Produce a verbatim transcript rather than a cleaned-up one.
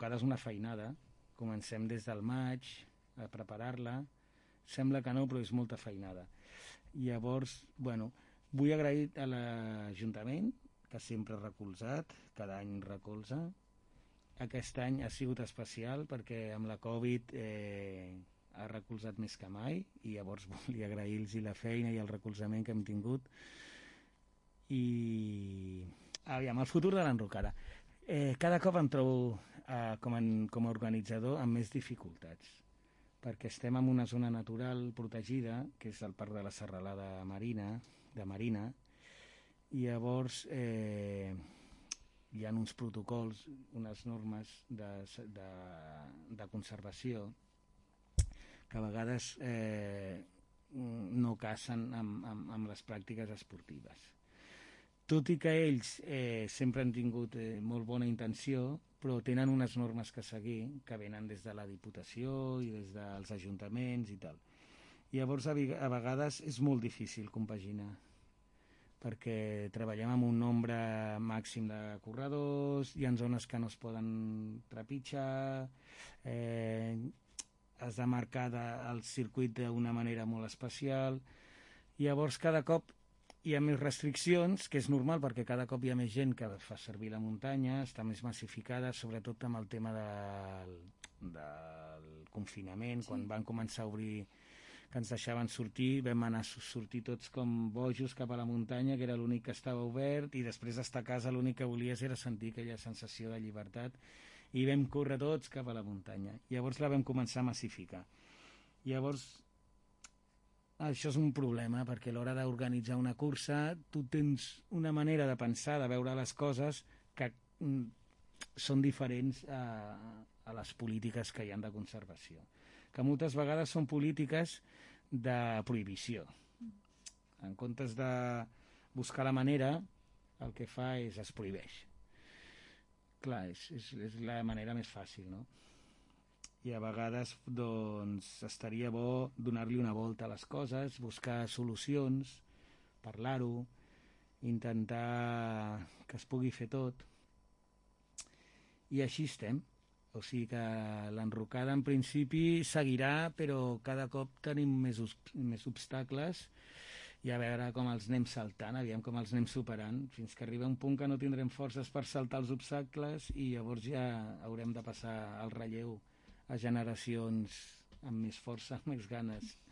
l'enrocada és una feinada. Comencem des del maig a preparar-la. Sembla que no, però és molta feinada. Llavors, bueno, vull agrair a l'Ajuntament, que sempre ha recolzat, cada any recolza. Aquest any ha sigut especial perquè amb la Covid eh, ha recolzat més que mai, i llavors volia agrair-los la feina i el recolzament que hem tingut. I aviam, el futur de l'enrocada. Eh, cada cop em trobo eh, com, en, com a organitzador amb més dificultats, perquè estem en una zona natural protegida, que és el Parc de la Serralada Marina, de Marina, i llavors eh, hi ha uns protocols, unes normes de, de, de conservació que a vegades eh, no casen amb, amb, amb les pràctiques esportives. Tot i que ells eh, sempre han tingut eh, molt bona intenció, però tenen unes normes que seguir, que venen des de la Diputació i des dels ajuntaments i tal. Llavors, a, a vegades és molt difícil compaginar, perquè treballem amb un nombre màxim de corredors, hi ha zones que no es poden trepitjar, eh, has de marcar de, el circuit d'una manera molt especial. Llavors, cada cop hi ha més restriccions, que és normal perquè cada cop hi ha més gent que fa servir la muntanya, està més massificada, sobretot amb el tema del, del confinament, sí. Quan van començar a obrir, que ens deixaven sortir, vam anar a sortir tots com bojos cap a la muntanya, que era l'únic que estava obert, i després d'estar a casa l'únic que volies era sentir aquella sensació de llibertat, i vam córrer tots cap a la muntanya. Llavors la vam començar a massificar. Llavors, això és un problema, perquè a l'hora d'organitzar una cursa tu tens una manera de pensar, de veure les coses que mm, són diferents a, a les polítiques que hi ha de conservació, que moltes vegades són polítiques de prohibició. En comptes de buscar la manera, el que fa és es prohibeix. Clar, és, és, és la manera més fàcil, no? I a vegades doncs, estaria bo donar-li una volta a les coses, buscar solucions, parlar-ho, intentar que es pugui fer tot. I així estem. O sigui que l'enrocada en principi seguirà, però cada cop tenim més, més obstacles, i a veure com els anem saltant, aviam com els anem superant, fins que arriba un punt que no tindrem forces per saltar els obstacles, i llavors ja haurem de passar al relleu a generacions amb més força, amb més ganes.